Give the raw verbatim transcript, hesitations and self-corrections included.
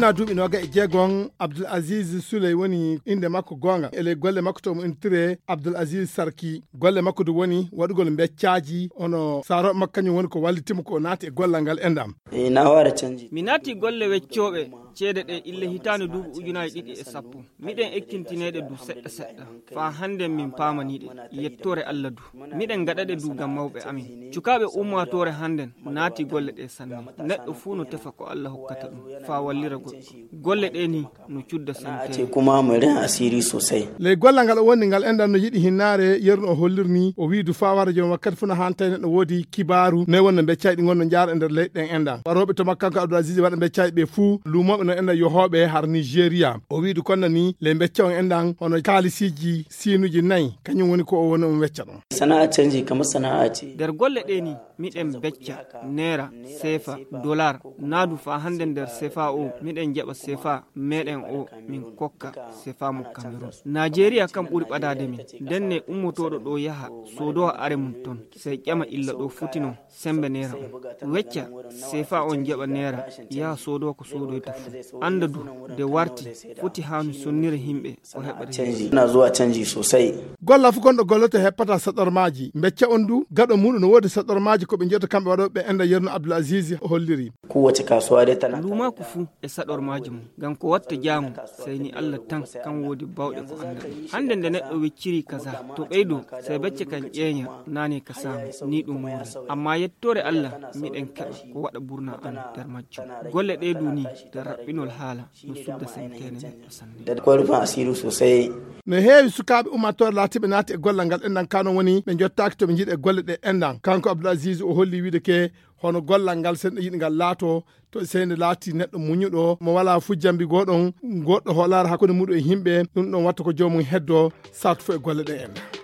Na duuɓi nooga e jeegon, Abdul Aziz Suley woni innde makko goonga. E ley golle makko to mo intire Abdul Aziz Sarki. Golle makko du woni waɗugol mbeccaaji, hono saarooɓe makko kañum woni ko wallitimo ko naati e gollal ngal enɗam. E na waɗa canji. Mi naati golle weccooɓe ceede ɗe ille hitaande duuɓi ujunaaji ɗiɗi e sappo. Miɗen ekkintineede du seɗɗa seɗɗa. Faa hannden min paamaniiɗe. Yettoore Alla du. Miɗen gaɗaɗe du ngam mawɓe amin. Cukaaɓe ummaatoore hannden naati golle ɗe sanne. Neɗɗo fuu no tefa ko Alla hokkata ɗum. Faa wallira goɗɗo. Golle ɗe ni no cudda santeere. Kuma murin asiri sosai. Ley gollal ngal o woni ngal enɗam no yiɗi hinnaare yerno o hollirni o wiidu faa wara joom wakkati fuu no hantay neɗɗo woodi kibaaru noy wonno mbeccayɗi ngonno jaara e nder leyɗe ɗen enɗam. Warooɓe to makko kanko Abdul Aziz waɗa mbeccayɗi ɓe fuu luumooɓe no enɗam yohooɓe har Nigeria. O wiidu konna ni ley mbecca on enɗam hono kaalisiiji siinuji nayi kañum woni ko o woni on wecca ɗon. Sana'a canji kamar sana'a ce. Nder golle ɗe ni miɗen becca neera sefa dolar naadu faa hannde nder sefa o miɗen jaɓa sefa meɗen o min kokka sefa mo Cameroun. Najeriya kam ɓuri ɓadaade min. Ndenne ummotooɗo ɗo yaha soodowa are mum ton sey ƴama illa ɗo foti non sembe neera on wecca sefa on jaɓa neera yaha soodowa ko soodoyta fuu annda du nde warti foti haanu sonnira yimɓe o heɓa canji na zuwa canji sosai. Golla fof gonɗo golloto heppata saɗormaaji. Becca on du gaɗo muɗum no woodi saɗormaaji ko ɓe jeyata kamɓe waɗooɓe ɓe enda yerno Abdul Aziz holliri. Kowace kasuwa dai tana luumaaku fuu e saɗormaaji mum ngam ko watta jaamu sey ni Allah tan kan woodi bawɗe ko annda ɗum hannde nde neɗɗo wecciri kaza to ɓeydo sey becce kan ƴeeña naane ka saamu ni ɗum woni amma yettoore Allah miɗen keɓa ko waɗa burna an nder majjum golle ɗe du ni nder raɓɓinol haala no sudda santeene neɗɗo sanne. Ko rufin asiri sosai. No heewi sukaaɓe ummaatoore laatiiɓe naati e gollal ngal enɗan kano woni ɓe jottaaki to ɓe njiɗi e golle ɗe enɗan kanko Abdul Aziz o holli wiide ke hono gollal ngal sen ɗo yiɗi ngal laato to sey nde laati neɗɗo muñuɗo mo wala fuu jambi goɗon goɗɗo hoolaare hakkunde muɗum e yimɓe ɗum ɗon watta ko joomum heddo sartu fof e golle ɗe enɗan.